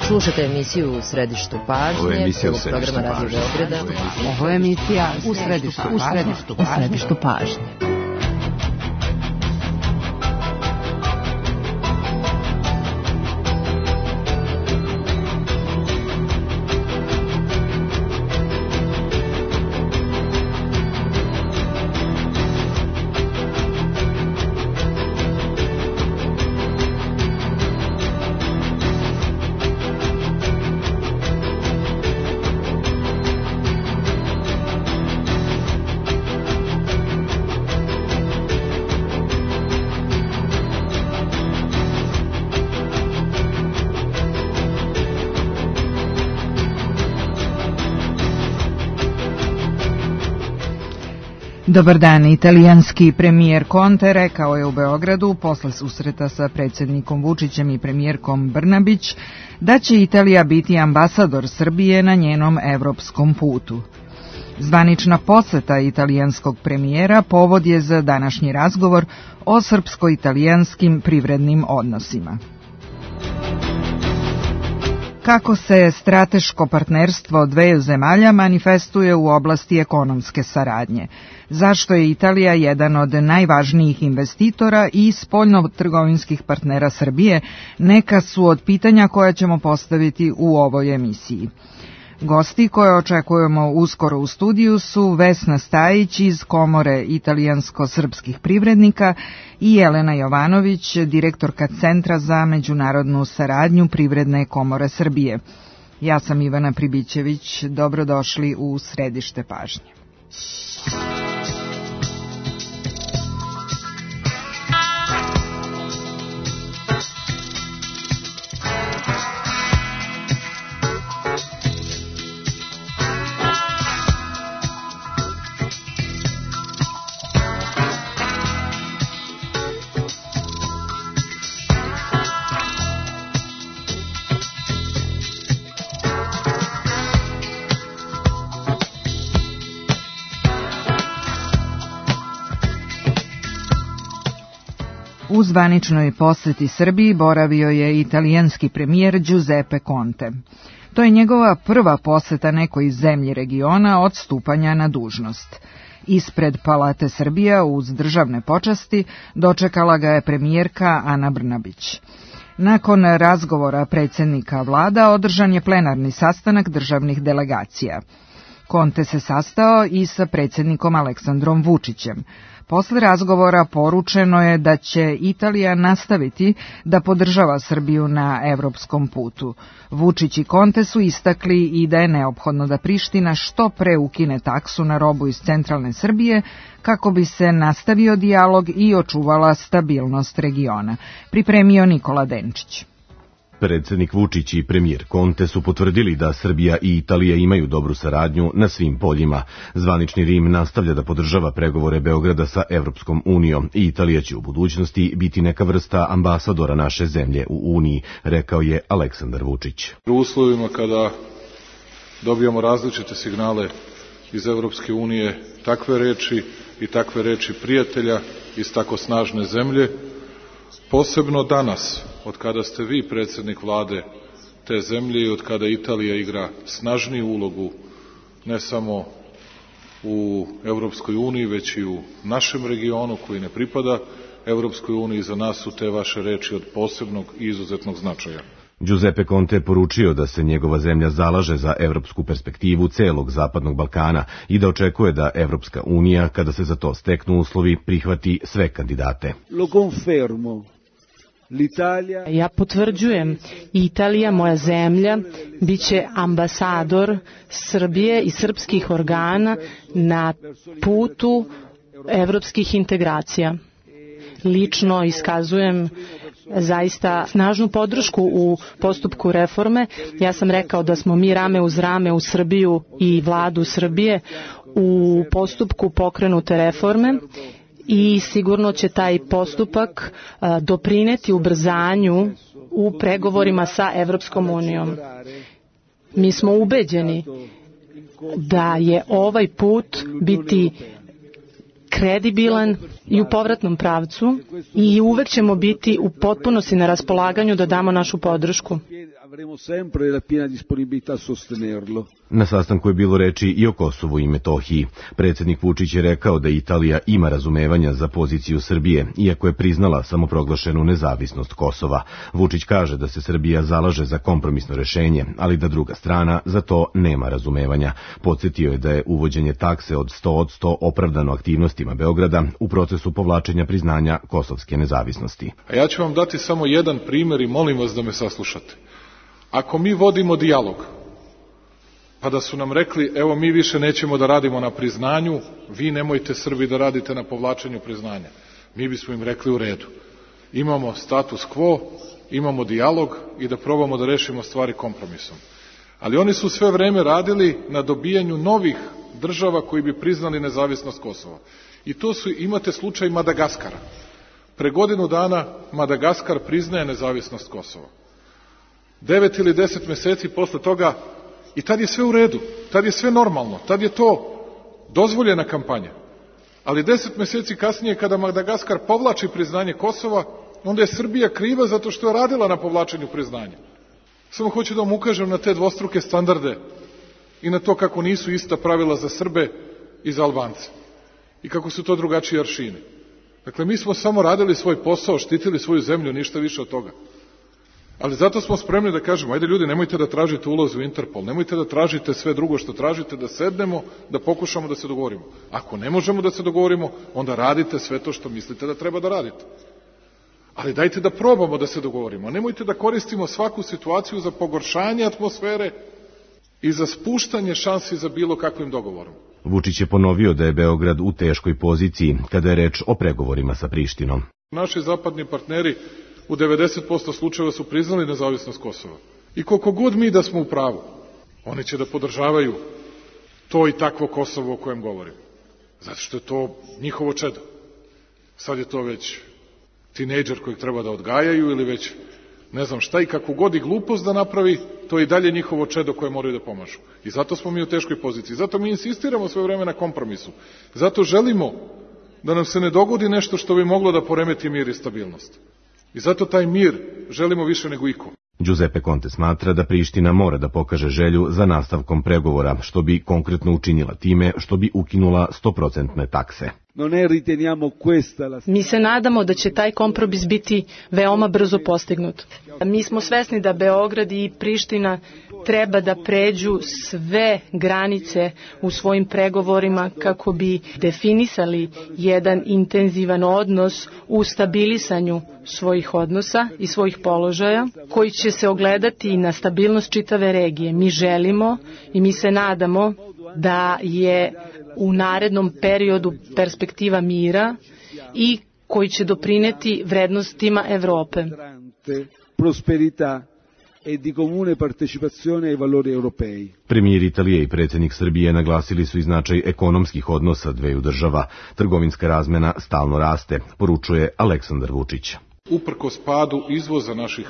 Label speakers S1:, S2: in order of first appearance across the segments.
S1: Slušajte emisiju U središtu pažnje, prvog programa Radio Beograda.
S2: Ovo je emisija U središtu pažnje.
S3: Dobar dan, italijanski premijer Conte rekao je u Beogradu posle susreta sa predsjednikom Vučićem i premijerkom Brnabić da će Italija biti ambasador Srbije na njenom evropskom putu. Zvanična poseta italijanskog premijera povod je za današnji razgovor o srpsko-italijanskim privrednim odnosima. Kako se strateško partnerstvo dveju zemalja manifestuje u oblasti ekonomske saradnje? Zašto je Italija jedan od najvažnijih investitora i spoljno-trgovinskih partnera Srbije? Neka su od pitanja koja ćemo postaviti u ovoj emisiji. Gosti koje očekujemo uskoro u studiju su Vesna Stajić iz Komore italijansko-srpskih privrednika i Jelena Jovanović, direktorka Centra za međunarodnu saradnju Privredne komore Srbije. Ja sam Ivana Pribićević, dobrodošli u središte pažnje. U zvaničnoj poseti Srbiji boravio je italijanski premijer Giuseppe Conte. To je njegova prva poseta nekoj zemlji regiona od stupanja na dužnost. Ispred Palate Srbija uz državne počasti dočekala ga je premijerka Ana Brnabić. Nakon razgovora predsjednika vlada održan je plenarni sastanak državnih delegacija. Conte se sastao i sa predsjednikom Aleksandrom Vučićem. Posle razgovora poručeno je da će Italija nastaviti da podržava Srbiju na evropskom putu. Vučić i Conte su istakli i da je neophodno da Priština što pre ukine taksu na robu iz centralne Srbije kako bi se nastavio dijalog i očuvala stabilnost regiona. Pripremio Nikola Denčić.
S4: Predsjednik Vučić i premijer Conte su potvrdili da Srbija i Italija imaju dobru saradnju na svim poljima. Zvanični Rim nastavlja da podržava pregovore Beograda sa Evropskom unijom i Italija će u budućnosti biti neka vrsta ambasadora naše zemlje u Uniji, rekao je Aleksandar Vučić.
S5: U uslovima kada dobijamo različite signale iz Evropske unije, takve reči prijatelja iz tako snažne zemlje, posebno danas, od kada ste vi predsjednik vlade te zemlje i od kada Italija igra snažniju ulogu ne samo u Evropskoj uniji, već i u našem regionu koji ne pripada Evropskoj uniji, za nas su te vaše reči od posebnog i izuzetnog značaja.
S4: Giuseppe Conte poručio da se njegova zemlja zalaže za evropsku perspektivu celog Zapadnog Balkana i da očekuje da Evropska unija, kada se za to steknu uslovi, prihvati sve kandidate.
S6: Lo confermo.
S7: Ja potvrđujem, Italija, moja zemlja, bit će ambasador Srbije i srpskih organa na putu evropskih integracija. Lično iskazujem zaista snažnu podršku u postupku reforme. Ja sam rekao da smo mi rame uz rame u Srbiju i vladu Srbije u postupku pokrenute reforme i sigurno će taj postupak doprineti ubrzanju u pregovorima sa Evropskom unijom. Mi smo ubeđeni da je ovaj put biti kredibilan i u povratnom pravcu i uvek ćemo biti u potpunosti na raspolaganju da damo našu podršku.
S4: Na sastanku je bilo reči i o Kosovu i Metohiji. Predsjednik Vučić je rekao da Italija ima razumevanja za poziciju Srbije, iako je priznala samoproglašenu nezavisnost Kosova. Vučić kaže da se Srbija zalaže za kompromisno rešenje, ali da druga strana za to nema razumevanja. Podsjetio je da je uvođenje takse od 100% opravdano aktivnostima Beograda u procesu povlačenja priznanja kosovske nezavisnosti.
S5: A ja ću vam dati samo jedan primjer i molim vas da me saslušate. Ako mi vodimo dijalog, pa da su nam rekli, evo mi više nećemo da radimo na priznanju, vi nemojte Srbi da radite na povlačenju priznanja. Mi bismo im rekli u redu. Imamo status quo, imamo dijalog i da probamo da rešimo stvari kompromisom. Ali oni su sve vreme radili na dobijanju novih država koji bi priznali nezavisnost Kosova. I to su, imate slučaj Madagaskara. Pre godinu dana Madagaskar priznaje nezavisnost Kosova. 9 ili 10 meseci posle toga i tad je sve u redu, tad je sve normalno, tad je to dozvoljena kampanja. Ali 10 meseci kasnije kada Madagaskar povlači priznanje Kosova, onda je Srbija kriva zato što je radila na povlačenju priznanja. Samo hoću da vam ukažem na te dvostruke standarde i na to kako nisu ista pravila za Srbe i za Albance i kako su to drugačiji aršini. Dakle, mi smo samo radili svoj posao, štitili svoju zemlju, ništa više od toga. Ali zato smo spremni da kažemo, ajde ljudi, nemojte da tražite ulaz u Interpol, nemojte da tražite sve drugo što tražite, da sednemo, da pokušamo da se dogovorimo. Ako ne možemo da se dogovorimo, onda radite sve to što mislite da treba da radite. Ali dajte da probamo da se dogovorimo. Nemojte da koristimo svaku situaciju za pogoršanje atmosfere i za spuštanje šansi za bilo kakvim dogovorom.
S4: Vučić je ponovio da je Beograd u teškoj poziciji kada je reč o pregovorima sa Prištinom.
S5: Naši zapadni partneri u 90% slučajeva su priznali nezavisnost Kosova. I koliko god mi da smo u pravu, oni će da podržavaju to i takvo Kosovo o kojem govorim. Zato što je to njihovo čedo. Sad je to već tinejdžer kojeg treba da odgajaju ili već ne znam šta i kako god i glupost da napravi, to je i dalje njihovo čedo koje moraju da pomažu. I zato smo mi u teškoj poziciji. Zato mi insistiramo sve vreme na kompromisu. Zato želimo da nam se ne dogodi nešto što bi moglo da poremeti mir i stabilnost. I zato taj mir želimo više nego iko.
S4: Giuseppe Conte smatra da Priština mora da pokaže želju za nastavkom pregovora, što bi konkretno učinila time što bi ukinula 100% takse.
S7: Mi se nadamo da će taj kompromis biti veoma brzo postignut. Mi smo svesni da Beograd i Priština treba da pređu sve granice u svojim pregovorima kako bi definisali jedan intenzivan odnos u stabilisanju svojih odnosa i svojih položaja, koji će se ogledati na stabilnost čitave regije. Mi želimo i mi se nadamo da je u narednom periodu perspektiva mira i koji će doprineti vrednostima Evrope.
S6: E di comune partecipazione ai valori europei.
S4: Premijer Italije i predsjednik Srbije naglasili su i značaj ekonomskih odnosa dveju država. Trgovinska razmena stalno raste, poručuje Aleksandar Vučić.
S5: Uprkos padu izvoza naših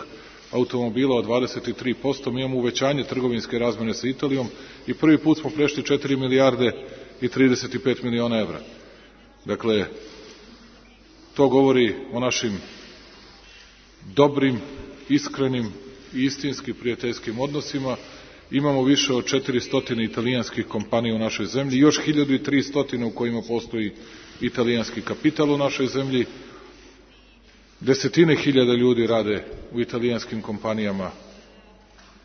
S5: automobila od 23%, mi imamo uvećanje trgovinske razmene sa Italijom i prvi put smo prešli 4 milijarde i 35 miliona evra. Dakle, to govori o našim dobrim, iskrenim i istinski prijateljskim odnosima. Imamo više od 400 italijanskih kompanija u našoj zemlji, još 1300 u kojima postoji italijanski kapital u našoj zemlji. Desetine hiljada ljudi rade u italijanskim kompanijama,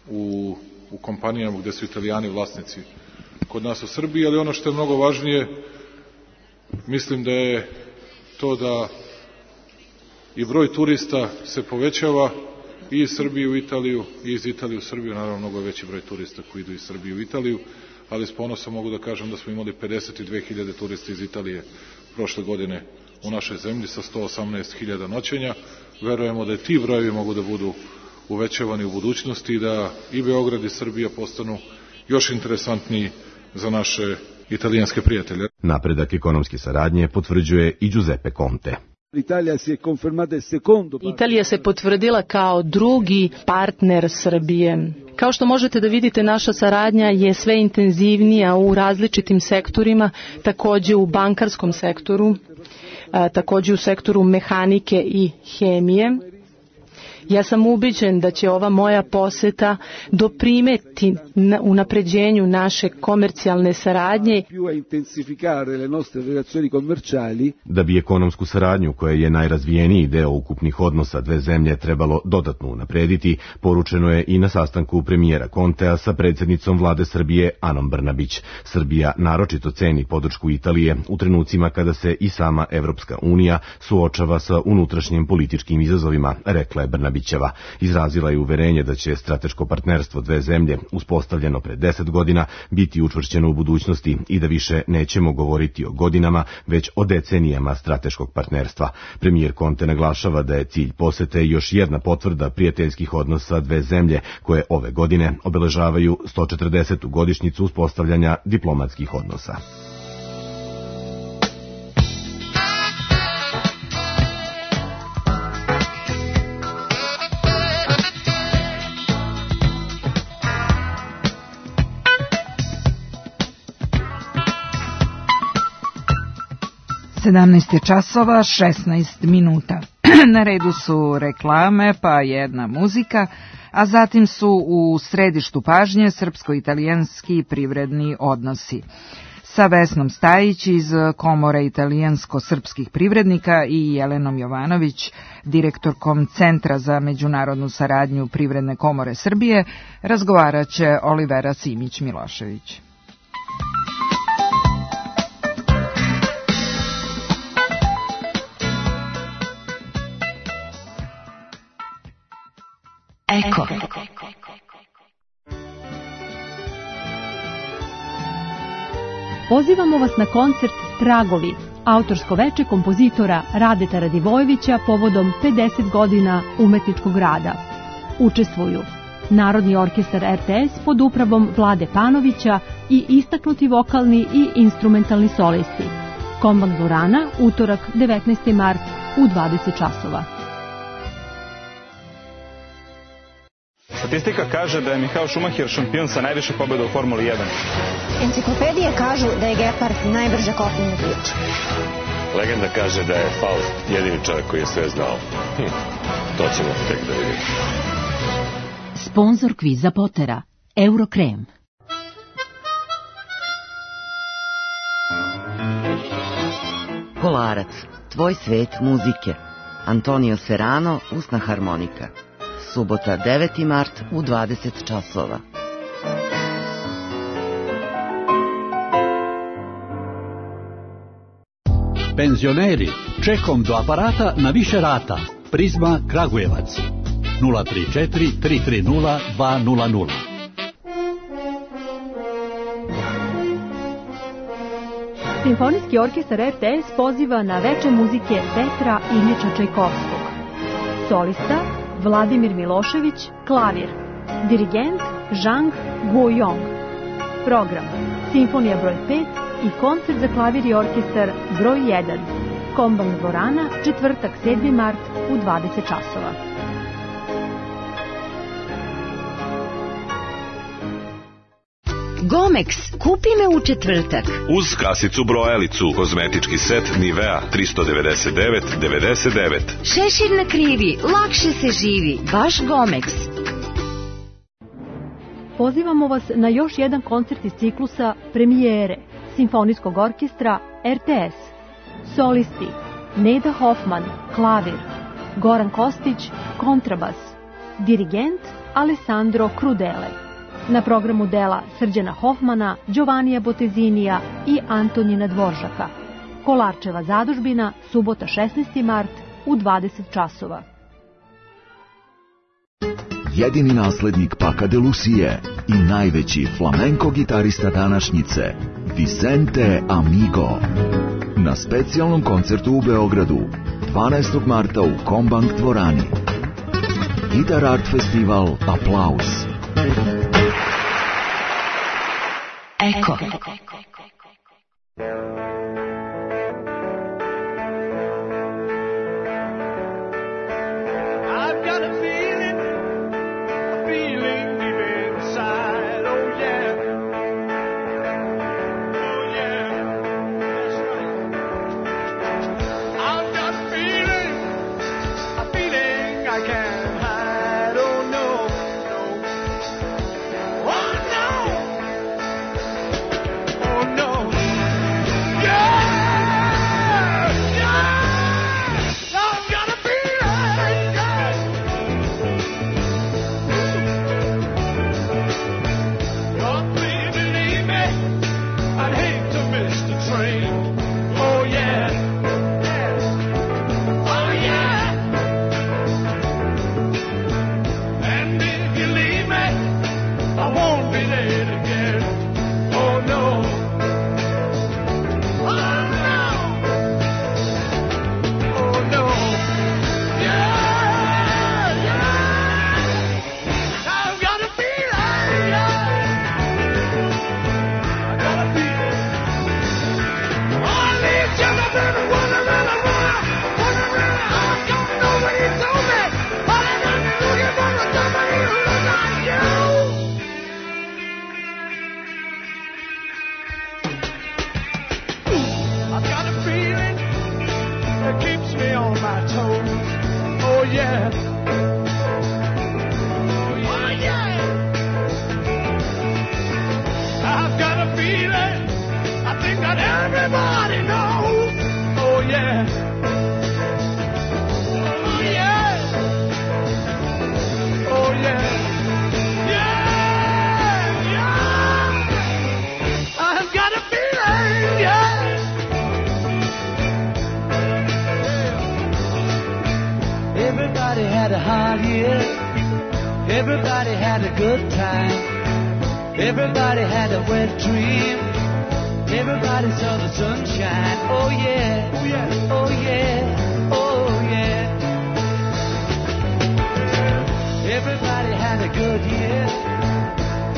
S5: u kompanijama gde su Italijani vlasnici kod nas u Srbiji, ali ono što je mnogo važnije, mislim da je to da i broj turista se povećava i iz Srbije u Italiju i iz Italije u Srbiju, naravno mnogo je veći broj turista koji idu iz Srbije u Italiju, ali s ponosom mogu da kažem da smo imali 52.000 turista iz Italije prošle godine u našoj zemlji sa 118.000 noćenja. Verujemo da ti brojevi mogu da budu uvećavani u budućnosti i da i Beograd i Srbija postanu još interesantniji za naše italijanske prijatelje.
S4: Napredak ekonomske saradnje potvrđuje i Giuseppe Conte.
S7: Italija se potvrdila kao drugi partner Srbije. Kao što možete da vidite, naša saradnja je sve intenzivnija u različitim sektorima, takođe u bankarskom sektoru, takođe u sektoru mehanike i hemije. Ja sam ubeđen da će ova moja poseta doprineti unapređenju naše komercijalne saradnje.
S4: Da bi ekonomsku saradnju, koja je najrazvijeniji deo ukupnih odnosa dve zemlje, trebalo dodatno unaprediti, poručeno je i na sastanku premijera Contea sa predsjednicom vlade Srbije Anom Brnabić. Srbija naročito ceni podršku Italije u trenucima kada se i sama Evropska unija suočava sa unutrašnjim političkim izazovima, rekla je Brnabićeva. Izrazila je uverenje da će strateško partnerstvo dve zemlje, uspostavljeno pre 10 godina, biti učvršćeno u budućnosti i da više nećemo govoriti o godinama, već o decenijama strateškog partnerstva. Premijer Conte naglašava da je cilj posete još jedna potvrda prijateljskih odnosa dve zemlje, koje ove godine obeležavaju 140. godišnjicu uspostavljanja diplomatskih odnosa.
S3: časova 16 minuta. Na redu su reklame, pa jedna muzika, a zatim su u središtu pažnje srpsko-italijanski privredni odnosi. Sa Vesnom Stajić iz Komore italijansko-srpskih privrednika i Jelenom Jovanović, direktorkom Centra za međunarodnu saradnju Privredne komore Srbije, razgovarat će Olivera Simić-Milošević.
S2: Eko.
S8: Pozivamo vas na koncert Tragovi, autorsko veče kompozitora Radeta Radivojevića povodom 50 godina umetničkog rada. Učestvuju Narodni orkestar RTS pod upravom Vlade Panovića i istaknuti vokalni i instrumentalni solisti. Kombank dvorana, utorak 19. mart u 20 časova.
S9: Statistika kaže da je Michael Schumacher šampion sa najviše pobjeda u Formuli 1.
S10: Enciklopedije kažu da je Gepard najbrža kopnena priča.
S11: Legenda kaže da je Faust jedini čovjek koji je sve znao. To ćemo tek da vidimo.
S2: Sponzor kviza Potera, Eurokrem.
S12: Kolarac, tvoj svet muzike. Antonio Serrano, usna harmonika. Subota 9. mart u 20 časova.
S13: Penzioneri, čekom do aparata na više rata. Prizma Kragujevac 034 330 200.
S8: Simfonijski orkestar RTS poziva na veče muzike Petra Iljiča Čajkovskog. Solista Vladimir Milošević, klavir. Dirigent Zhang Guoyong. Program Simfonija broj 5 i koncert za klavir i orkestar broj 1. Kombank dvorana, četvrtak 7. mart u 20 časova.
S14: Gomex, kupi me u četvrtak.
S11: Uz kasicu brojalicu, kozmetički set Nivea 399,99.
S14: Šešir na krivi, lakše se živi, baš Gomex.
S8: Pozivamo vas na još jedan koncert iz ciklusa Premijere Simfonijskog orkestra RTS. Solisti Neda Hoffman, klavir. Goran Kostić, kontrabas. Dirigent Alessandro Crudele. Na programu dela Srđana Hoffmana, Giovannija Botezinija i Antonina Dvoržaka. Kolarčeva zadužbina, subota 16. mart u 20 časova.
S15: Jedini naslednik Paca de Lucie i najveći flamenko gitarista današnjice, Vicente Amigo. Na specijalnom koncertu u Beogradu, 12. marta u Kombank dvorani. Guitar Art Festival Aplauz.
S2: Eko.
S16: I can hide. Everybody knows, oh yeah, oh yeah, oh yeah, yeah, yeah. I've got a feeling, yeah. Everybody had a hard year. Everybody had a good time. Everybody had a wet dream. Everybody saw the sunshine, oh yeah, oh yeah, oh yeah, oh yeah. Everybody had a good year.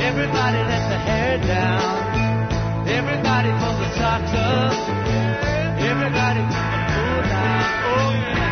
S16: Everybody let the hair down. Everybody pulled the socks up. Everybody put the pool down, oh yeah.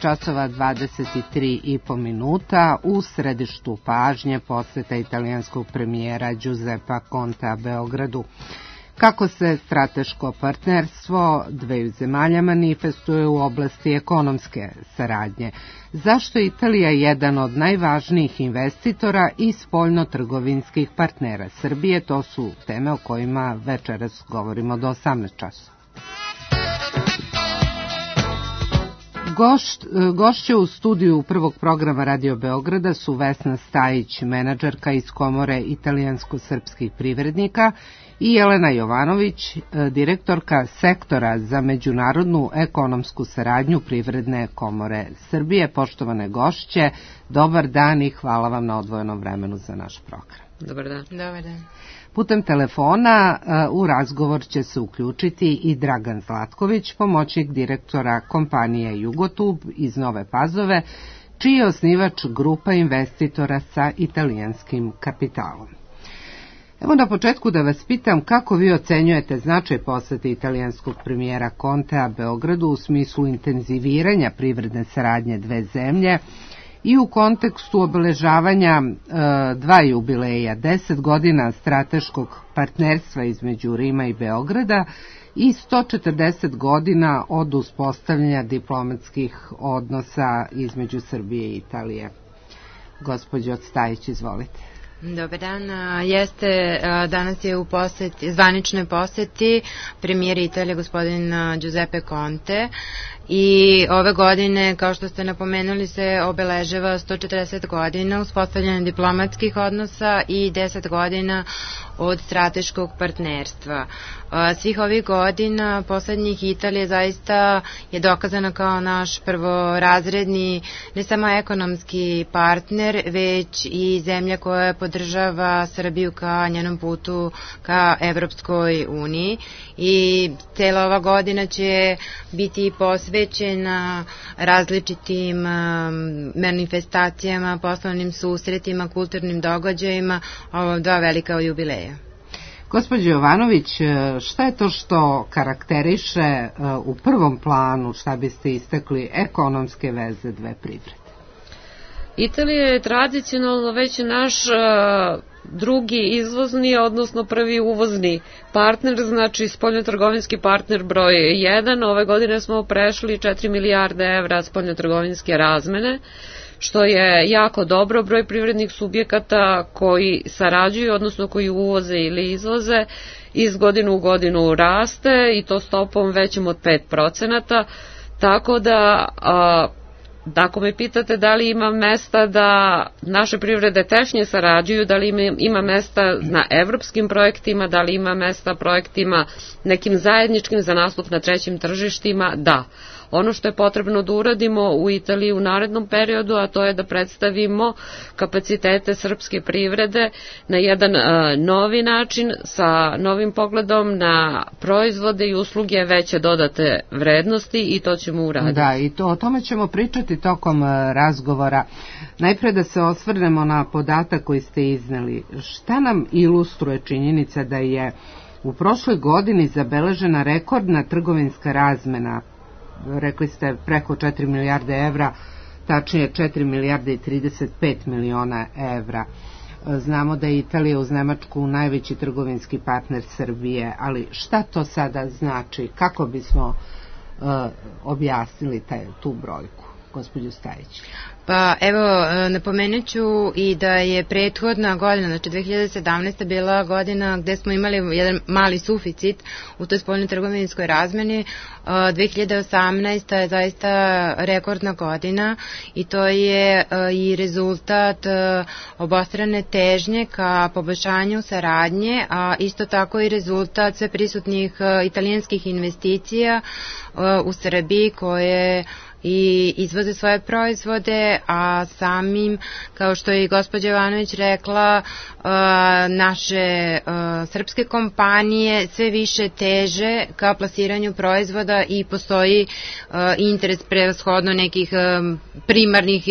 S17: časova 23,5 minuta u središtu pažnje poseta italijanskog premijera Giuseppa Contea Beogradu. Kako se strateško partnerstvo dveju zemalja manifestuje u oblasti ekonomske saradnje? Zašto je Italija jedan od najvažnijih investitora i spoljno-trgovinskih partnera Srbije? To su teme o kojima večeras govorimo do 18 časova. Gošće u studiju prvog programa Radio Beograda su Vesna Stajić, menadžerka iz Komore italijansko-srpskih privrednika, i Jelena Jovanović, direktorka sektora za međunarodnu ekonomsku saradnju Privredne komore Srbije. Poštovane gošće, dobar dan i hvala vam na odvojenom vremenu za naš program.
S1: Dobar dan.
S7: Dobar dan.
S17: Putem telefona u razgovor će se uključiti i Dragan Zlatković, pomoćnik direktora kompanije Jugotub iz Nove Pazove, čiji je osnivač grupa investitora sa italijanskim kapitalom. Evo na početku da vas pitam kako vi ocenjujete značaj posete italijanskog premijera Contea Beogradu u smislu intenziviranja privredne saradnje dve zemlje i u kontekstu obeležavanja dva jubileja, 10 godina strateškog partnerstva između Rima i Beograda i 140 godina od uspostavljanja diplomatskih odnosa između Srbije i Italije. Gospođo Stajić, izvolite.
S18: Dobar dan, danas je u zvaničnoj poseti premijer Italije gospodin Giuseppe Conte i ove godine, kao što ste napomenuli, se obeležava 140 godina uspostavljanja diplomatskih odnosa i 10 godina od strateškog partnerstva. Svih ovih godina poslednjih Italije zaista je dokazana kao naš prvorazredni ne samo ekonomski partner, već i zemlja koja podržava Srbiju ka njenom putu ka Evropskoj uniji i cela ova godina će biti posvećena različitim manifestacijama, poslovnim susretima, kulturnim događajima, ovo dva velika jubileja.
S17: Gospođo Jovanović, šta je to što karakteriše u prvom planu, šta biste istakli, ekonomske veze dve privrede?
S19: Italija je tradicionalno već naš drugi izvozni, odnosno prvi uvozni partner, znači spoljnotrgovinski partner broj 1. Ove godine smo prešli 4 milijarde evra spoljnotrgovinske razmene, što je jako dobro. Broj privrednih subjekata koji sarađuju, odnosno koji uvoze ili izvoze, iz godine u godinu raste i to stopom većom od 5%, tako da ako me pitate da li ima mesta da naše privrede tešnje sarađuju, da li ima mesta na evropskim projektima, da li ima mesta projektima nekim zajedničkim za nastup na trećim tržištima, da. Ono što je potrebno da uradimo u Italiji u narednom periodu, a to je da predstavimo kapacitete srpske privrede na jedan novi način, sa novim pogledom na proizvode i usluge veće dodate vrednosti, i to ćemo uraditi.
S17: Da, i o tome ćemo pričati tokom razgovora. Najpre da se osvrnemo na podatak koji ste izneli. Šta nam ilustruje činjenica da je u prošloj godini zabeležena rekordna trgovinska razmena, rekli ste preko 4 milijarde evra, tačnije 4 milijarde i 35 miliona evra. Znamo da je Italija uz Nemačku najveći trgovinski partner Srbije, ali šta to sada znači? Kako bismo objasnili tu brojku, gospođo Stajić?
S18: Pa evo, napomenut ću i da je prethodna godina, znači 2017. bila godina gde smo imali jedan mali suficit u toj spoljnoj trgovinskoj razmeni. 2018. je zaista rekordna godina i to je i rezultat obostrane težnje ka poboljšanju saradnje, a isto tako i rezultat sve prisutnih italijanskih investicija u Srbiji koje i izvoze svoje proizvode, a samim, kao što je i gospođa Jovanović rekla, naše srpske kompanije sve više teže ka plasiranju proizvoda i postoji interes prevashodno nekih primarnih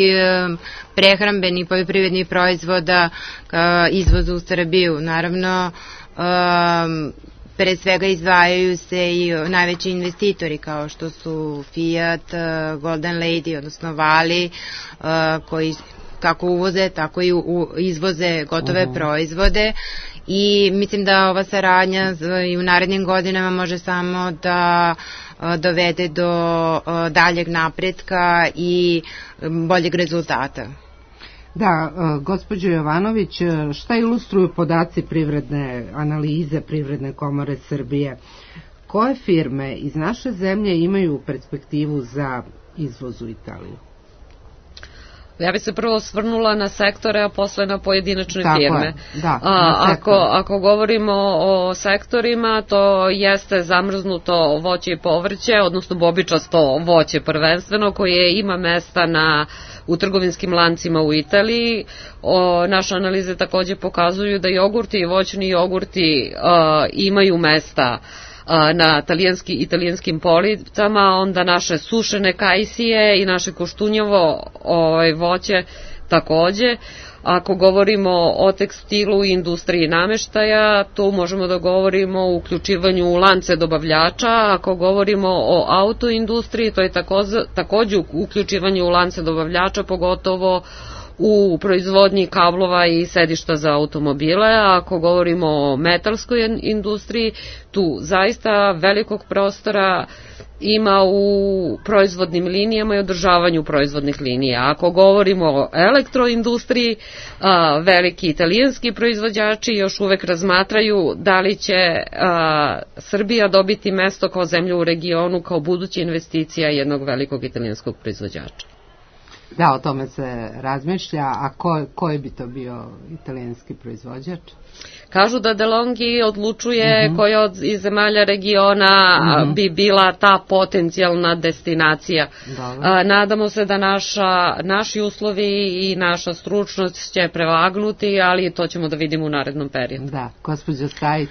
S18: prehrambenih poljoprivrednih proizvoda ka izvozu u Srbiju. Naravno, pre svega izdvajaju se i najveći investitori kao što su Fiat, Golden Lady, odnosno Vali, koji kako uvoze, tako i izvoze gotove proizvode, i mislim da ova saradnja i u narednim godinama može samo da dovede do daljeg napretka i boljeg rezultata.
S17: Da, gospođo Jovanović, šta ilustruju podaci privredne analize Privredne komore Srbije? Koje firme iz naše zemlje imaju perspektivu za izvoz u Italiju?
S19: Ja bih se prvo osvrnula na sektore, a posle na pojedinačne firme.
S17: Da,
S19: ako govorimo o sektorima, to jeste zamrznuto voće i povrće, odnosno bobičasto voće prvenstveno, koje ima mesta u trgovinskim lancima u Italiji. Naše analize takođe pokazuju da jogurti i voćni jogurti imaju mesta na italijanskim policama, onda naše sušene kajsije i naše koštunjevo voće takođe. Ako govorimo o tekstilu i industriji nameštaja, tu možemo da govorimo o uključivanju u lance dobavljača. Ako govorimo o autoindustriji, to je takođe uključivanje u lance dobavljača, pogotovo u proizvodnji kablova i sedišta za automobile. Ako govorimo o metalskoj industriji, tu zaista velikog prostora ima u proizvodnim linijama i održavanju proizvodnih linija. Ako govorimo o elektroindustriji, veliki italijanski proizvođači još uvek razmatraju da li će Srbija dobiti mesto kao zemlja u regionu, kao buduća investicija jednog velikog italijanskog proizvođača.
S17: Da, o tome se razmišlja, a koji bi to bio italijanski proizvođač?
S19: Kažu da DeLonghi odlučuje koja iz zemalja regiona bi bila ta potencijalna destinacija. Nadamo se da naši uslovi i naša stručnost će prevagnuti, ali to ćemo da vidimo u narednom periodu.
S17: Da, gospođo Stajić.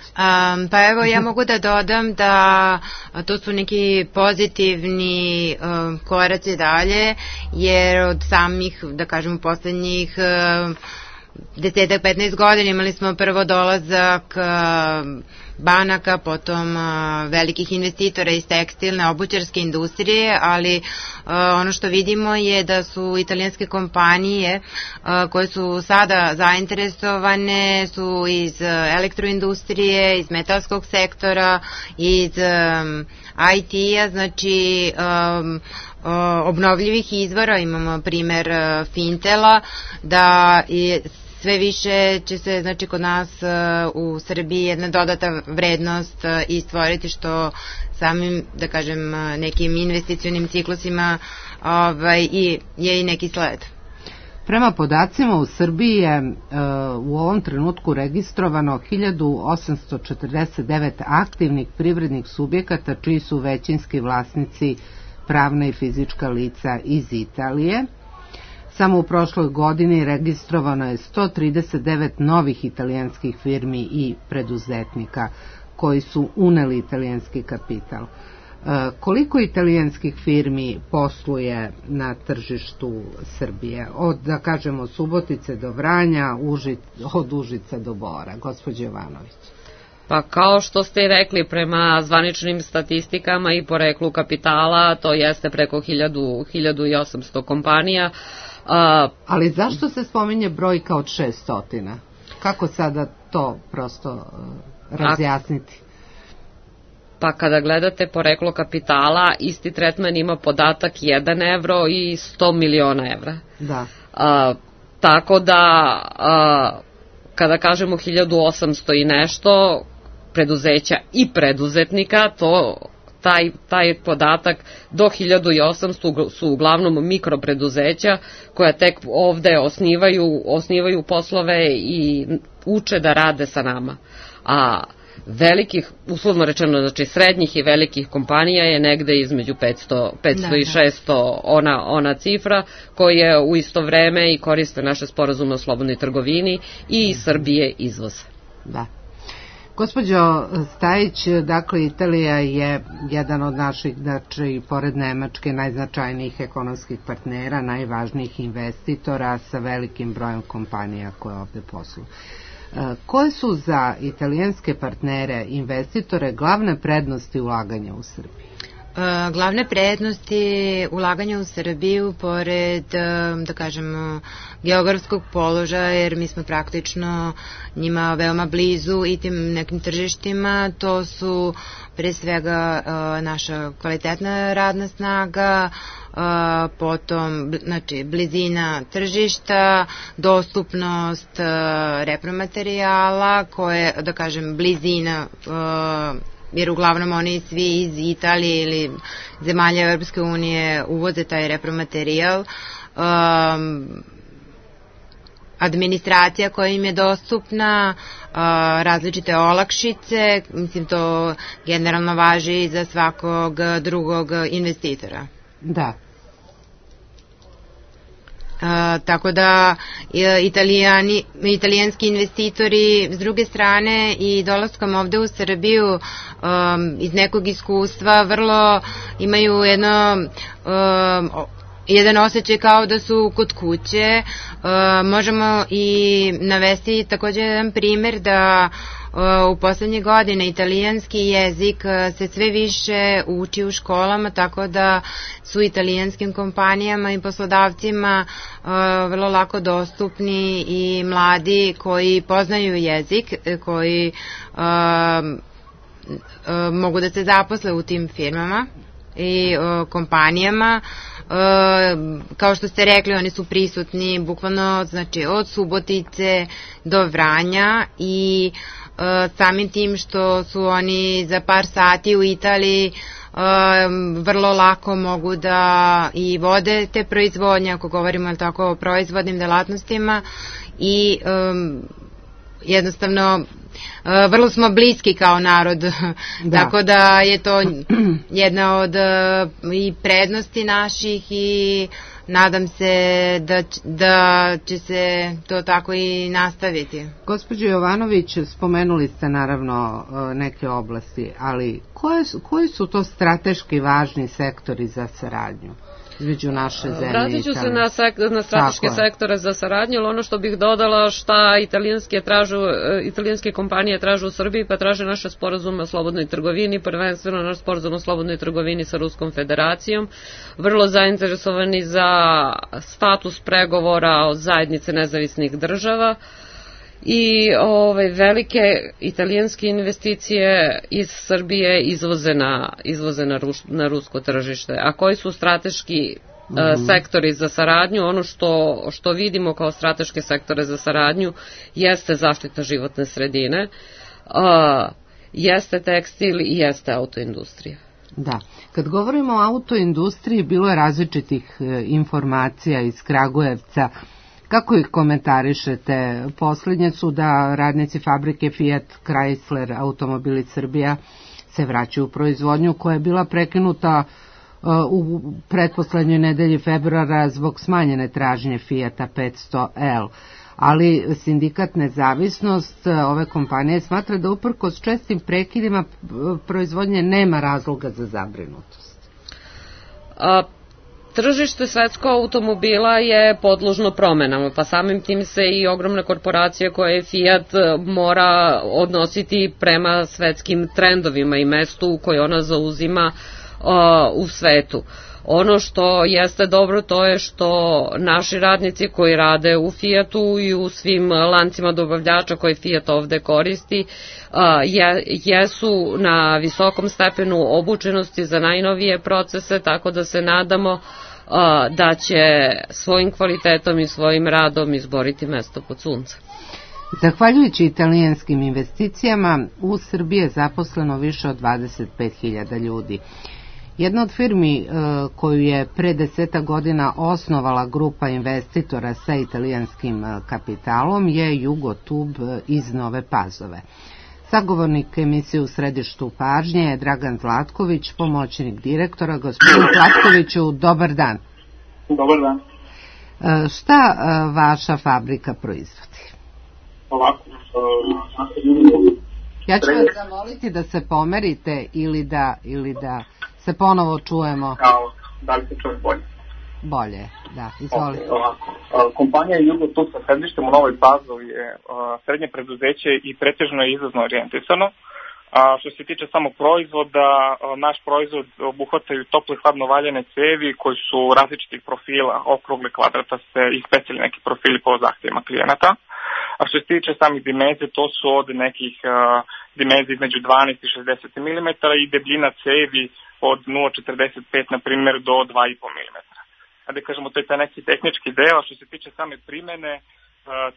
S18: Pa evo, ja mogu da dodam da to su neki pozitivni koraci dalje, jer od samih, da kažem, poslednjih 10-15 godina imali smo prvo dolazak banaka, potom velikih investitora iz tekstilne, obućarske industrije, ali ono što vidimo je da su italijanske kompanije koje su sada zainteresovane su iz elektroindustrije, iz metalskog sektora, iz IT-a, znači obnovljivih izvora. Imamo primer Fintela, da je sve više će se, znači, kod nas u Srbiji jedna dodata vrednost i stvoriti, što samim, da kažem, nekim investicionim ciklusima je i neki sled.
S17: Prema podacima u Srbiji je u ovom trenutku registrovano 1849 aktivnih privrednih subjekata čiji su većinski vlasnici pravna i fizička lica iz Italije. Samo u prošloj godini registrovano je 139 novih italijanskih firmi i preduzetnika koji su uneli italijanski kapital. Koliko italijanskih firmi posluje na tržištu Srbije? Od, da kažemo, Subotice do Vranja, od Užica do Bora. Gospođo Jovanović.
S19: Pa kao što ste rekli, prema zvaničnim statistikama i poreklu kapitala, to jeste preko 1800 kompanija.
S17: Ali zašto se spominje brojka od 600? Kako sada to prosto razjasniti?
S19: Pa kada gledate poreklo kapitala, isti tretman ima podatak 1 evro i 100 miliona evra.
S17: Da.
S19: Tako da, kada kažemo 1800 i nešto preduzeća i preduzetnika, taj podatak do 1800 su uglavnom mikropreduzeća koja tek ovde osnivaju poslove i uče da rade sa nama. A velikih, uslovno rečeno, znači srednjih i velikih kompanija je negde između 500 i 600 ona cifra koje u isto vreme i koriste naše sporazume o slobodnoj trgovini i iz Srbije izvoze.
S17: Da. Gospođo Stajić, dakle, Italija je jedan od naših, znači, pored Nemačke, najznačajnijih ekonomskih partnera, najvažnijih investitora sa velikim brojem kompanija koje ovde posluju. Koje su za italijanske partnere, investitore, glavne prednosti ulaganja u Srbiji?
S18: Glavne prednosti ulaganja u Srbiju, pored, da kažemo, geografskog položaja, jer mi smo praktično njima veoma blizu i tim nekim tržištima, to su pre svega naša kvalitetna radna snaga, potom, znači, blizina tržišta, dostupnost repromaterijala, koje, da kažem, blizina, jer uglavnom oni svi iz Italije ili zemalja Europske unije uvoze taj repromaterijal, administracija koja im je dostupna, različite olakšice, mislim, to generalno važi za svakog drugog investitora.
S17: Da.
S18: Tako da italijanski investitori s druge strane i dolaskom ovde u Srbiju iz nekog iskustva vrlo imaju jedan osjećaj kao da su kod kuće. Možemo i navesti takođe jedan primer da u poslednje godine italijanski jezik se sve više uči u školama, tako da su italijanskim kompanijama i poslodavcima vrlo lako dostupni i mladi koji poznaju jezik, koji mogu da se zaposle u tim firmama i kompanijama. Kao što ste rekli, oni su prisutni bukvalno, znači, od Subotice do Vranja i samim tim što su oni za par sati u Italiji vrlo lako mogu da i vode te proizvodnje, ako govorimo tako o proizvodnim delatnostima, i jednostavno vrlo smo bliski kao narod, da. Tako da je to jedna od i prednosti naših i nadam se da će se to tako i nastaviti.
S17: Gospođo Jovanović, spomenuli ste naravno neke oblasti, ali koji su to strateški važni sektori za saradnju? između naše zemlje i Italije.
S19: Vratit ću se na strateške sektore za saradnju, ali ono što bih dodala šta italijanske kompanije traže u Srbiji, pa traže naše sporazume o slobodnoj trgovini, prvenstveno naš sporazum o slobodnoj trgovini sa Ruskom federacijom, vrlo zainteresovani za status pregovora od zajednice nezavisnih država, i velike italijanske investicije iz Srbije izvoze na rusko tržište. A koji su strateški sektori za saradnju? Ono što vidimo kao strateške sektore za saradnju jeste zaštita životne sredine, jeste tekstil i jeste autoindustrija.
S17: Da, kad govorimo o autoindustriji, bilo je različitih informacija iz Kragujevca. Kako ih komentarišete? Poslednje su da radnici fabrike Fiat Chrysler Automobili Srbija se vraćaju u proizvodnju koja je bila prekinuta u pretposlednjoj nedelji februara zbog smanjene tražnje Fiata 500L. Ali sindikat Nezavisnost ove kompanije smatra da uprkos čestim prekidima proizvodnje nema razloga za zabrinutost.
S19: Tržište svetskog automobila je podložno promenama, pa samim tim se i ogromna korporacija koja je Fiat mora odnositi prema svetskim trendovima i mestu koje ona zauzima u svetu. Ono što jeste dobro to je što naši radnici koji rade u Fiatu i u svim lancima dobavljača koje Fiat ovde koristi jesu na visokom stepenu obučenosti za najnovije procese, tako da se nadamo da će svojim kvalitetom i svojim radom izboriti mesto pod suncem.
S17: Zahvaljujući italijanskim investicijama, u Srbiji je zaposleno više od 25.000 ljudi. Jedna od firmi koju je pre 10 godina osnovala grupa investitora sa italijanskim kapitalom je Jugotub iz Nove Pazove. Sagovornik emisije U središtu pažnje je Dragan Zlatković, pomoćnik direktora. Gospodin Zlatkoviću, dobar dan.
S20: Dobar dan.
S17: Šta vaša fabrika proizvodi?
S20: Ovako.
S17: Ja ću vas zamoliti da se pomerite ili da se ponovo čujemo.
S20: Da li se čuje bolje?
S17: Bolje, da, izvolite.
S20: Kompanija Jugotub sa sedištem u Novoj Pazovi je srednje preduzeće i pretežno je izvozno orijentisano. Što se tiče samog proizvoda, naš proizvod obuhvataju tople hladno valjane cevi koji su različitih profila, okrugle, kvadrataste i specijalni neki profili po zahtjevima klijenata. A što se tiče samih dimenzije, to su od nekih dimenzija između 12 i 60 mm i debljina cevi od 0,45 na primjer do 2,5 mm. Da kažemo, to je taj neki tehnički deo. Što se tiče same primene,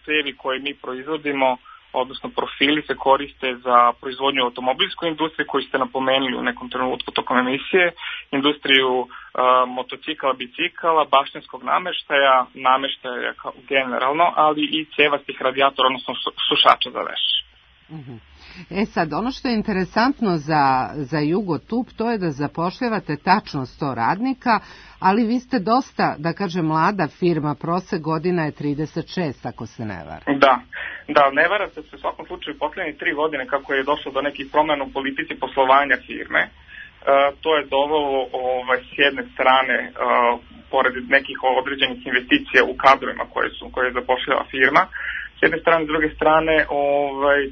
S20: cevi koje mi proizvodimo, odnosno profili se koriste za proizvodnju automobilskoj industriji koju ste napomenuli u nekom trenutku tokom emisije, industriju motocikala, bicikala, baštenskog nameštaja generalno, ali i cevastih radijatora, odnosno sušača za veš.
S17: Sad, ono što je interesantno za Jugotub, to je da zapošljavate tačno 100 radnika, ali vi ste dosta, da kažem, mlada firma, prosek godina je 36, ako se ne vara.
S20: Da, ne vara se u svakom slučaju poslednje 3 godine kako je došlo do nekih promena u politici poslovanja firme. To je dovelo s jedne strane, pored nekih određenih investicija u kadrovima koje zapošljava firma, s jedne strane, s druge strane,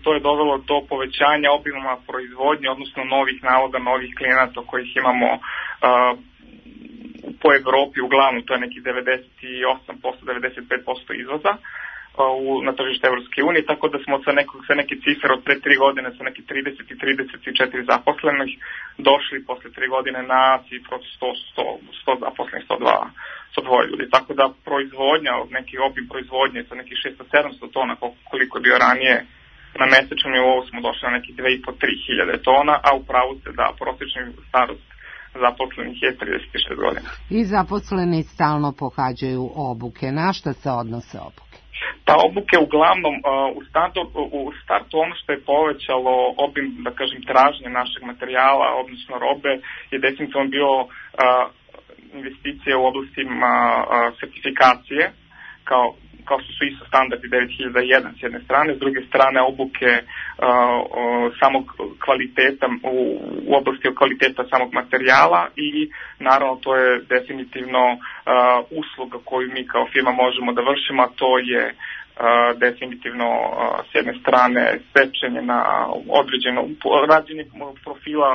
S20: to je dovelo do povećanja obima proizvodnje, odnosno novih naloga, novih klijenata kojih imamo po Evropi, uglavnom to je nekih 98%, 95% izvoza na tržište Evropske unije, tako da smo sa neke cifre od pre 3 godine sa neki 30 i 34 zaposlenih došli posle 3 godine na cifru od 100 zaposlenih, 102 ljudi. Tako da proizvodnja, neki obim proizvodnje sa nekih 600-700 tona, koliko je bio ranije, na mesečnom nivou smo došli na nekih 2.500-3.000 tona, a upravo se da prosječni starost zaposlenih je 36 godina.
S17: I zaposleni stalno pohađaju obuke. Na šta se odnose obuke?
S20: Ta obuke uglavnom u startu ono što je povećalo obim, da kažem, tražnje našeg materijala, odnosno robe, je definitivno bio investicije u oblastima sertifikacije, kao kao što su ISO standardi 9001 s jedne strane, s druge strane obuke samog kvaliteta u oblasti kvaliteta samog materijala i naravno to je definitivno usluga koju mi kao firma možemo da vršimo, a to je definitivno s jedne strane sečenje na određeno rađenje profila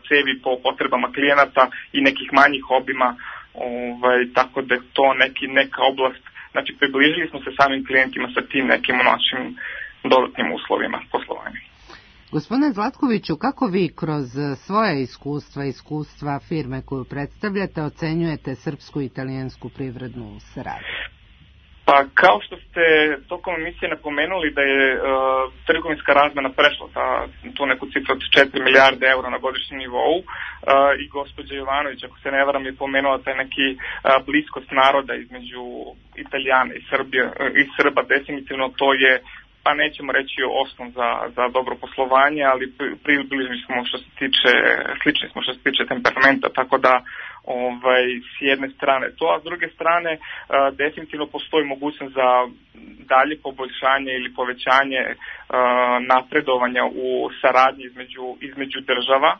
S20: cevi po potrebama klijenata i nekih manjih obima, tako da je to neka oblast, znači približili smo se samim klijentima sa tim nekim našim dodatnim uslovima poslovanja.
S17: Gospodine Zlatkoviću, kako vi kroz svoje iskustva firme koju predstavljate ocenjujete srpsku i italijansku privrednu saradnju?
S20: Pa kao što ste tokom emisije napomenuli da je trgovinska razmena prešla tu neku cifru od 4 milijarde eura na godišnjem nivou i gospođa Jovanović, ako se ne varam, je pomenula taj neki bliskost naroda između Italijana i Srba, definitivno to je, pa nećemo reći osnov za dobro poslovanje, ali približni smo slični smo što se tiče temperamenta, tako da s jedne strane to, a s druge strane definitivno postoji mogućnost za dalje poboljšanje ili povećanje napredovanja u saradnji između država,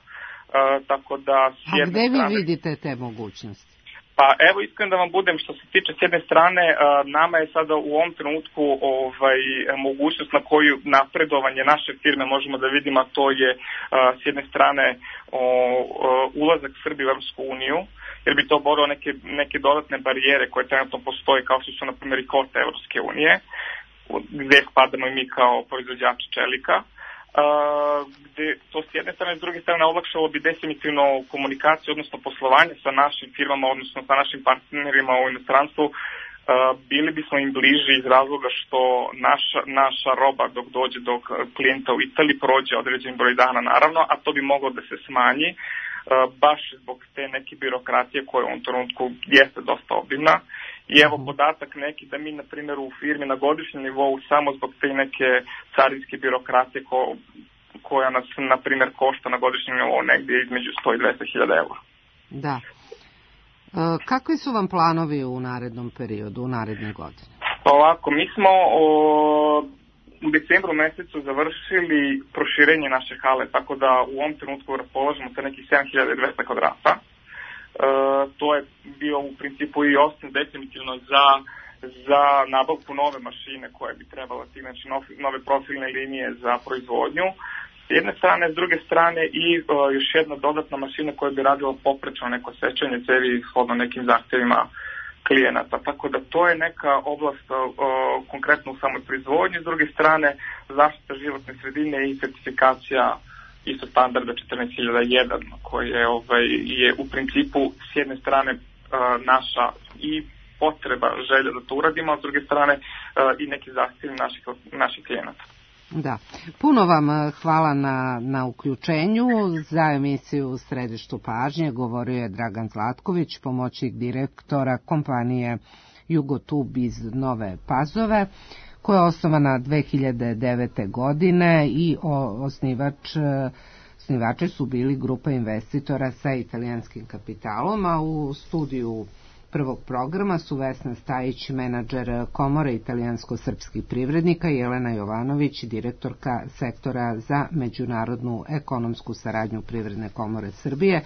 S20: tako da s jedne strane...
S17: A gde vi vidite te mogućnosti?
S20: Pa evo, iskreno da vam budem, što se tiče s jedne strane, nama je sada u ovom trenutku mogućnost na koju napredovanje naše firme možemo da vidimo, a to je s jedne strane ulazak Srbije u Evropsku uniju, jer bi to borao neke dodatne barijere koje trenutno postoje, kao što su na primjer i kvote Evropske unije, gde spadamo i mi kao proizvođači čelika. Gde to s jedne strane, s druge strane olakšalo bi definitivno komunikaciju, odnosno poslovanje sa našim firmama, odnosno sa našim partnerima u inostranstvu. Bili bismo im bliži iz razloga što naša roba dok dođe do klijenta u Italiji prođe određen broj dana naravno, a to bi moglo da se smanji baš zbog te neke birokratije koja u ovom trenutku jeste dosta obimna. I evo podatak neki da mi, na primjer, u firmi na godišnjem nivou samo zbog te neke carinske birokratije koja nas, na primjer, košta na godišnjem nivou negdje između 100 i 200.000 eura.
S17: Da. Kakvi su vam planovi u narednom periodu, u naredne godine?
S20: Pa ovako, mi smo u decembru mesecu završili proširenje naše hale, tako da u ovom trenutku raspolažemo sa nekih 7200 kvadrata. To je bio u principu i osnov definitivno za nabavku nove mašine koje bi trebala ti, znači nove profilne linije za proizvodnju. S jedne strane, s druge strane i još jedna dodatna mašina koja bi radila poprečno neko sečenje cevi shodno nekim zahtjevima klijenata. Tako da to je neka oblast konkretno u samoj proizvodnji. S druge strane, zaštita životne sredine i certifikacija isto standarda 14.001 koji je u principu s jedne strane naša i potreba, želja da to uradimo, a s druge strane i neki zahtjevi naših klijenata.
S17: Da. Puno vam hvala na uključenju. Za emisiju u središtu pažnje govorio je Dragan Zlatković, pomoćnik direktora kompanije Jugotub iz Nove Pazove, koja je osnovana 2009. godine i osnivači su bili grupa investitora sa italijanskim kapitalom, a u studiju prvog programa su Vesna Stajić, menadžer Komore italijansko-srpskih privrednika, i Jelena Jovanović, direktorka sektora za međunarodnu ekonomsku saradnju Privredne komore Srbije.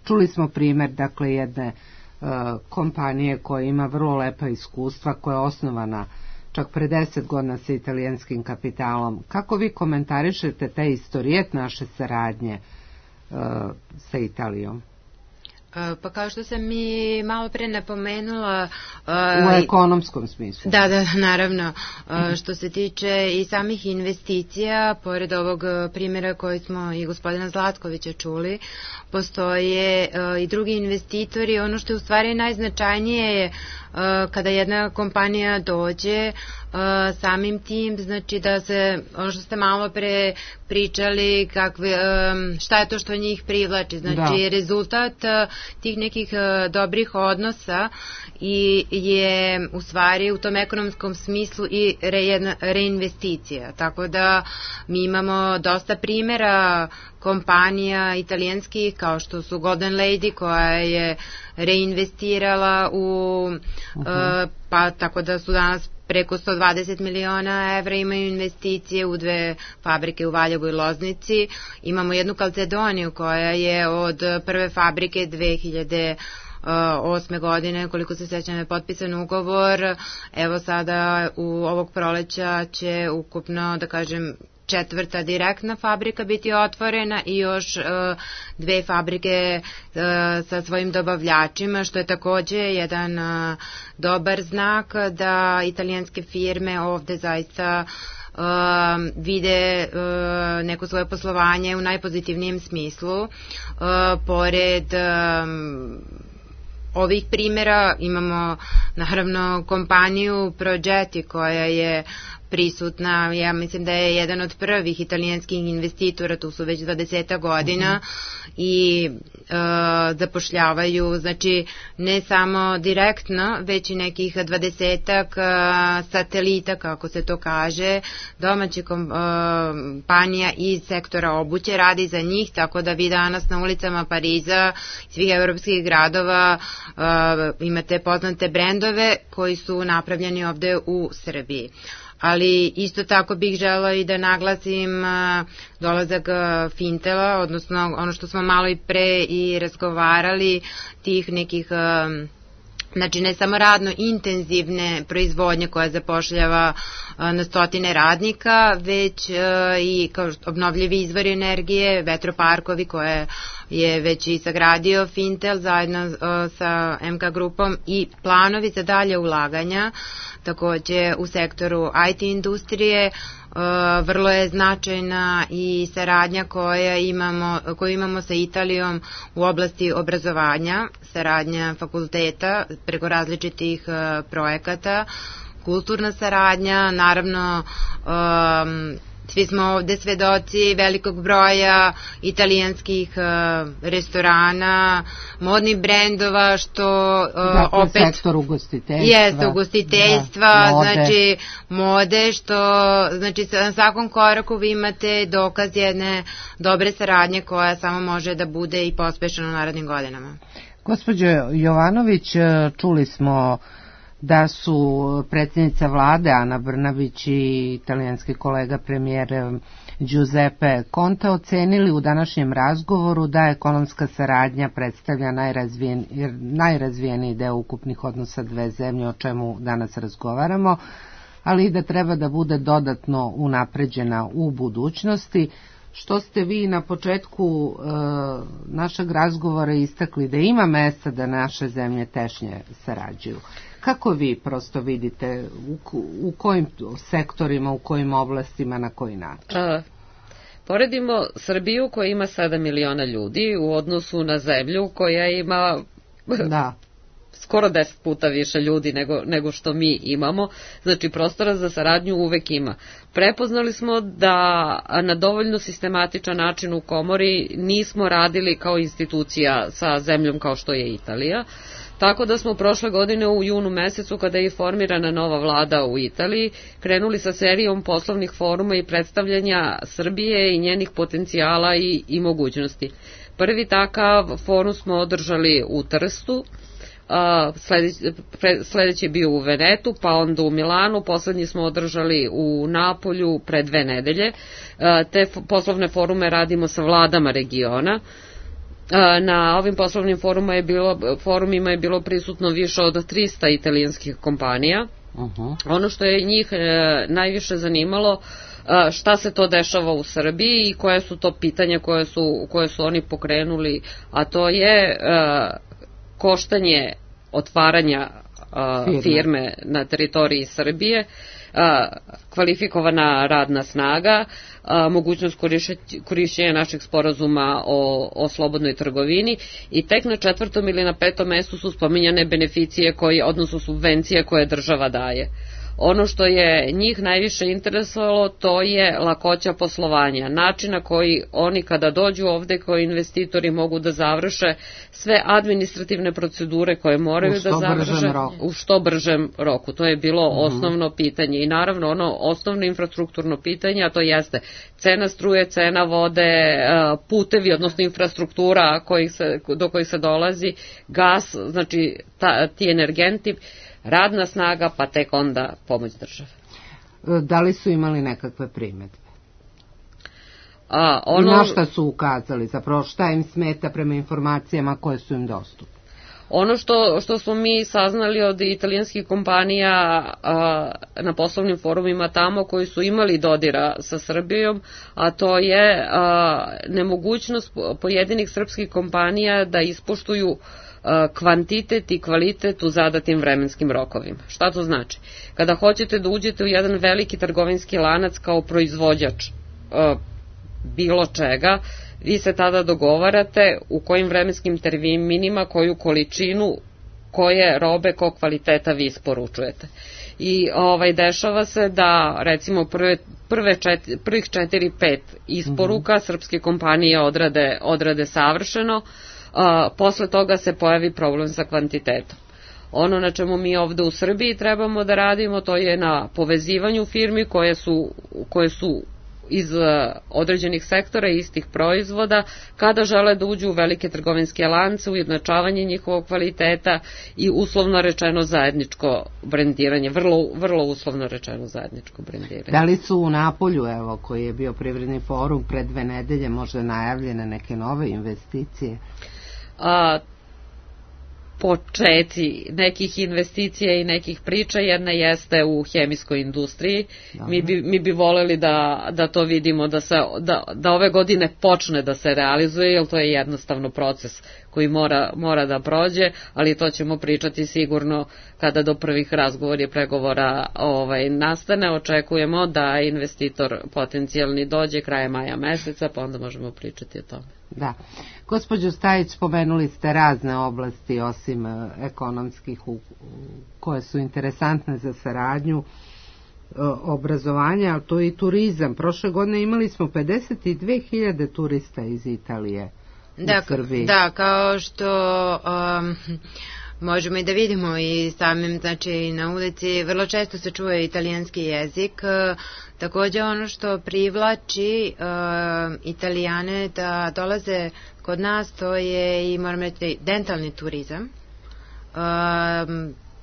S17: Čuli smo primjer, dakle, jedne kompanije koja ima vrlo lepa iskustva, koja je osnovana čak pre 10 godina sa italijanskim kapitalom. Kako vi komentarišete te istorijet naše saradnje sa Italijom?
S18: Pa kao što sam i malo pre napomenula...
S17: U ekonomskom smislu.
S18: Da, naravno. Što se tiče i samih investicija, pored ovog primjera koji smo i gospodina Zlatkovića čuli, postoje i drugi investitori. Ono što je u stvari najznačajnije je kada jedna kompanija dođe samim tim, znači da se, ono što ste malo pre pričali, šta je to što njih privlači, znači rezultat tih nekih dobrih odnosa i je u stvari u tom ekonomskom smislu i reinvesticija, tako da mi imamo dosta primjera kompanija italijanskih kao što su Golden Lady koja je reinvestirala u pa tako da su danas preko 120 miliona evra, imaju investicije u 2 fabrike u Valjevu i Loznici. Imamo jednu Kalcedoniju koja je od prve fabrike 2008. godine, koliko se sećam, je potpisan ugovor. Evo sada u ovog proleća će ukupno, da kažem, 4. direktna fabrika biti otvorena i još 2 fabrike sa svojim dobavljačima, što je takođe jedan dobar znak da italijanske firme ovde zaista vide neko svoje poslovanje u najpozitivnijem smislu. Pored ovih primjera imamo naravno kompaniju Progetti koja je prisutna, ja mislim da je jedan od prvih italijanskih investitora, tu su već 20 godina i zapošljavaju, znači ne samo direktno, već i nekih 20-ak satelita, kako se to kaže, domaće kompanija iz sektora obuće radi za njih, tako da vi danas na ulicama Pariza, svih evropskih gradova imate poznate brendove koji su napravljeni ovde u Srbiji. Ali isto tako bih želeo i da naglasim dolazak Fintela, odnosno ono što smo malo i pre i razgovarali, tih nekih, znači ne samo radno intenzivne proizvodnje koja zapošljava na stotine radnika, već i kao obnovljivi izvori energije, vetroparkovi koje je već i sagradio Fintel zajedno sa MK grupom i planovi za dalje ulaganja. Takođe u sektoru IT industrije vrlo je značajna i saradnja koju imamo sa Italijom u oblasti obrazovanja, saradnja fakulteta preko različitih projekata, kulturna saradnja, naravno svi smo ovde svedoci velikog broja italijanskih restorana, modnih brendova, što
S17: dakle, opet sektor ugostiteljstva.
S18: Jeste, ugostiteljstva, mode. Znači mode, što znači na svakom koraku vi imate dokaz jedne dobre saradnje koja samo može da bude i pospešena u narednim godinama.
S17: Gospođo Jovanović, čuli smo da su predsjednica vlade Ana Brnabić i italijanski kolega premijer Giuseppe Conte ocenili u današnjem razgovoru da ekonomska saradnja predstavlja najrazvijeniji deo ukupnih odnosa dve zemlje, o čemu danas razgovaramo, ali i da treba da bude dodatno unapređena u budućnosti, što ste vi na početku našeg razgovora istakli da ima mesta da naše zemlje tešnje sarađuju. Kako vi prosto vidite u kojim sektorima, u kojim oblastima, na koji način?
S19: Poredimo Srbiju koja ima 7 miliona ljudi u odnosu na zemlju koja ima skoro 10 puta više ljudi nego što mi imamo, znači prostora za saradnju uvek ima. Prepoznali smo da na dovoljno sistematičan način u komori nismo radili kao institucija sa zemljom kao što je Italija. Tako da smo prošle godine u junu mesecu, kada je formirana nova vlada u Italiji, krenuli sa serijom poslovnih foruma i predstavljanja Srbije i njenih potencijala i mogućnosti. Prvi takav forum smo održali u Trstu, sledeći je bio u Venetu, pa onda u Milanu, poslednji smo održali u Napolju pre 2 nedelje. Te poslovne forume radimo sa vladama regiona. Na ovim poslovnim forumima je bilo prisutno više od 300 italijanskih kompanija. Ono što je njih najviše zanimalo, šta se to dešava u Srbiji i koje su to pitanja koje su oni pokrenuli, a to je koštanje otvaranja firme na teritoriji Srbije, kvalifikovana radna snaga, mogućnost korišćenja naših sporazuma o slobodnoj trgovini i tek na 4. ili na 5. mestu su spominjane beneficije odnosno subvencije koje država daje. Ono što je njih najviše interesovalo, to je lakoća poslovanja, način na koji oni kada dođu ovde kao investitori mogu da završe sve administrativne procedure koje moraju da završe u što bržem roku. To je bilo osnovno pitanje i naravno ono osnovno infrastrukturno pitanje, a to jeste cena struje, cena vode, putevi, odnosno infrastruktura do kojih se dolazi, gas, znači ti energenti, radna snaga, pa tek onda pomoć države.
S17: Da li su imali nekakve primedbe? I na šta su ukazali? Zapravo šta im smeta prema informacijama koje su im dostupne?
S19: Ono što smo mi saznali od italijanskih kompanija na poslovnim forumima tamo koji su imali dodira sa Srbijom, a to je nemogućnost pojedinih srpskih kompanija da ispoštuju kvantitet i kvalitet u zadatim vremenskim rokovima. Šta to znači? Kada hoćete da uđete u jedan veliki trgovinski lanac kao proizvođač bilo čega, vi se tada dogovarate u kojim vremenskim terminima, koju količinu, koje robe, kog kvaliteta vi isporučujete. I dešava se da recimo prvih 4-5 isporuka srpske kompanije odrade savršeno, posle toga se pojavi problem sa kvantitetom. Ono na čemu mi ovde u Srbiji trebamo da radimo, to je na povezivanju firmi koje su iz određenih sektora i istih proizvoda, kada žele da uđu u velike trgovinske lance, ujednačavanje njihovog kvaliteta i uslovno rečeno zajedničko brendiranje, vrlo uslovno rečeno zajedničko brendiranje.
S17: Da li su u Napolju, evo, koji je bio privredni forum pre 2 nedelje, možda najavljene neke nove investicije?
S19: Počeci nekih investicija i nekih priča, jedna jeste u hemijskoj industriji. Mi bi voleli da to vidimo, da ove godine počne da se realizuje, jer to je jednostavno proces koji mora da prođe, ali to ćemo pričati sigurno kada do prvih razgovora i pregovora nastane. Očekujemo da investitor potencijalni dođe krajem maja meseca, pa onda možemo pričati o tome.
S17: Da. Gospođo Stajić, spomenuli ste razne oblasti osim ekonomskih koje su interesantne za saradnju, obrazovanja, ali to je i turizam. Prošle godine imali smo 52.000 turista iz Italije u Srbiji. Da,
S18: kao što možemo i da vidimo i samim, znači na ulici vrlo često se čuje italijanski jezik. Takođe ono što privlači Italijane da dolaze kod nas, to je i moram reći dentalni turizam.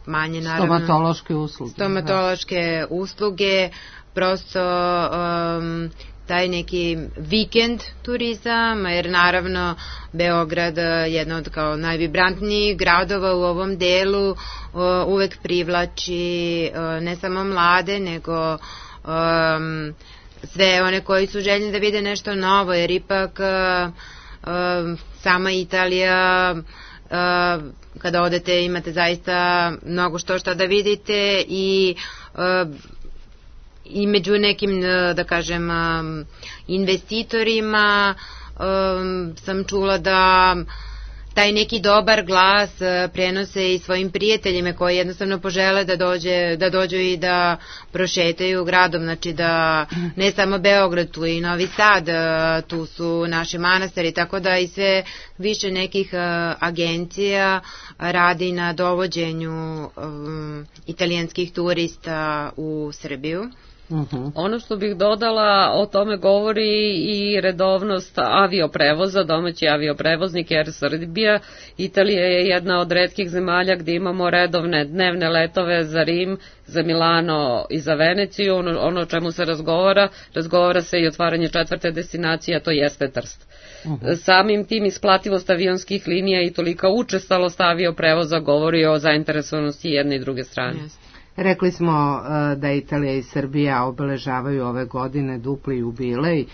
S18: Manje naravno stomatološke usluge, prosto taj neki vikend turizam, jer naravno Beograd, jedna od kao najvibrantnijih gradova u ovom delu, uvek privlači ne samo mlade, nego sve one koji su željni da vide nešto novo, jer ipak sama Italija, kada odete imate zaista mnogo što da vidite i među nekim, da kažem, investitorima sam čula da taj neki dobar glas prenose i svojim prijateljima koji jednostavno požele da dođu i da prošetaju gradom, znači da ne samo Beograd, tu i Novi Sad, tu su naši manastiri, tako da i sve više nekih agencija radi na dovođenju italijanskih turista u Srbiju.
S19: Ono što bih dodala, o tome govori i redovnost avioprevoza, domaći avioprevoznik Air Srbija. Italija je jedna od retkih zemalja gdje imamo redovne dnevne letove za Rim, za Milano i za Veneciju. Ono o čemu se razgovara se i otvaranje 4. destinacije, a to jeste Trst. Samim tim isplativost avionskih linija i tolika učestalost avioprevoza govori o zainteresovanosti jedne i druge strane.
S17: Rekli smo da Italija i Srbija obeležavaju ove godine dupli jubilej,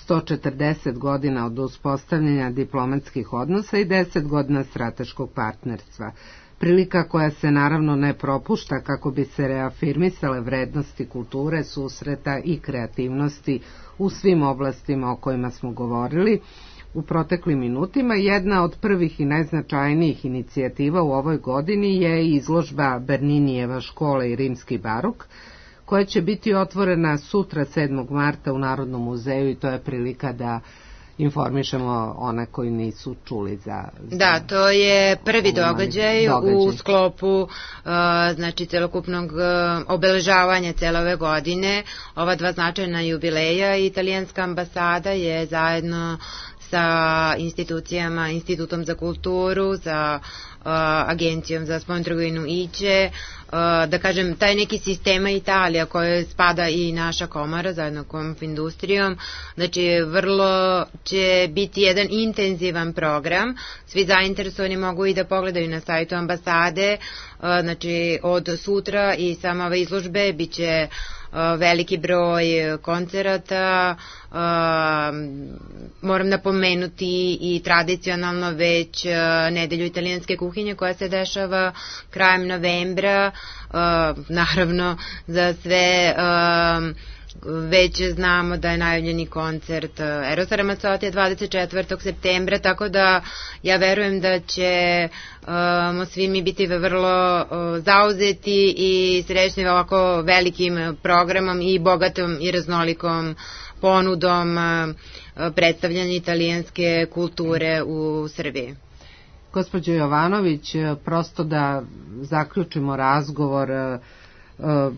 S17: 140 godina od uspostavljanja diplomatskih odnosa i 10 godina strateškog partnerstva. Prilika koja se naravno ne propušta kako bi se reafirmisale vrednosti kulture, susreta i kreativnosti u svim oblastima o kojima smo govorili. u proteklim minutima. Jedna od prvih i najznačajnijih inicijativa u ovoj godini je izložba Berninijeva škola i rimski barok, koja će biti otvorena sutra 7. marta u Narodnom muzeju i to je prilika da informišemo one koji nisu čuli za...
S18: Da, to je prvi događaj u sklopu znači celokupnog obeležavanja cele ove godine. Ova dva značajna jubileja, italijanska ambasada je zajedno sa institucijama, Institutom za kulturu, sa Agencijom za spoljnu trgovinu IČE, da kažem, taj neki sistema Italija koje spada i naša komora zajedno Konfindustrijom, znači vrlo će biti jedan intenzivan program, svi zainteresovani mogu i da pogledaju na sajtu ambasade, znači od sutra i sama ove izložbe bit će veliki broj koncerata, moram napomenuti i tradicionalno već nedelju italijanske kuhinje koja se dešava krajem novembra, naravno za sve već znamo da je najavljeni koncert Erosa Ramazzotija 24. septembra, tako da ja verujem da ćemo svi mi biti vrlo zauzeti i srećni ovako velikim programom i bogatom i raznolikom ponudom predstavljanja italijanske kulture u Srbiji.
S17: Gospođo Jovanović, prosto da zaključimo razgovor,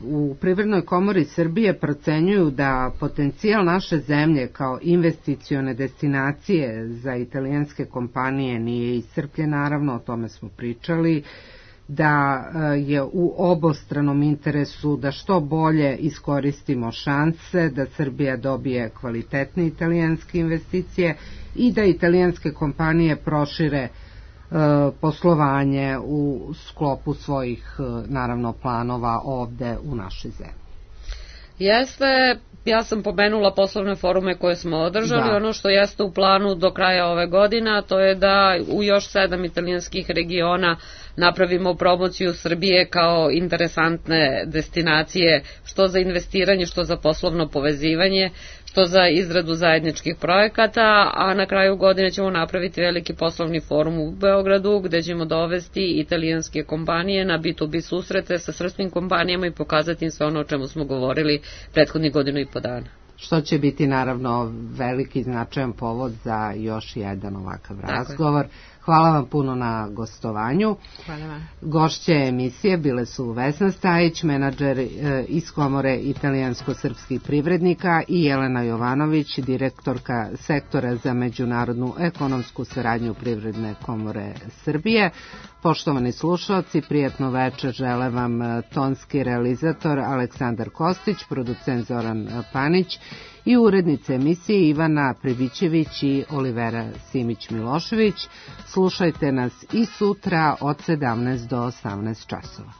S17: u Privrednoj komori Srbije procenjuju da potencijal naše zemlje kao investicione destinacije za italijanske kompanije nije iscrpljen, naravno, o tome smo pričali, da je u obostranom interesu da što bolje iskoristimo šanse, da Srbija dobije kvalitetne italijanske investicije i da italijanske kompanije prošire poslovanje u sklopu svojih, naravno, planova ovde u našoj zemlji.
S19: Jeste, ja sam pomenula poslovne forume koje smo održali, ono što jeste u planu do kraja ove godine, to je da u još 7 italijanskih regiona napravimo promociju Srbije kao interesantne destinacije, što za investiranje, što za poslovno povezivanje, što za izradu zajedničkih projekata, a na kraju godine ćemo napraviti veliki poslovni forum u Beogradu gde ćemo dovesti italijanske kompanije na B2B susrete sa srpskim kompanijama i pokazati im sve ono o čemu smo govorili prethodnih godinu i po dana.
S17: Što će biti naravno veliki značajan povod za još jedan ovakav razgovor. Hvala vam puno na gostovanju.
S18: Hvala vam.
S17: Gošće emisije bile su Vesna Stajić, menadžer iz Komore italijansko-srpskih privrednika, i Jelena Jovanović, direktorka sektora za međunarodnu ekonomsku saradnju Privredne komore Srbije. Poštovani slušalci, prijatno večer žele vam tonski realizator Aleksandar Kostić, producent Zoran Panić i urednice emisije Ivana Pribićević i Olivera Simić-Milošević. Slušajte nas i sutra od 17 do 18 časova.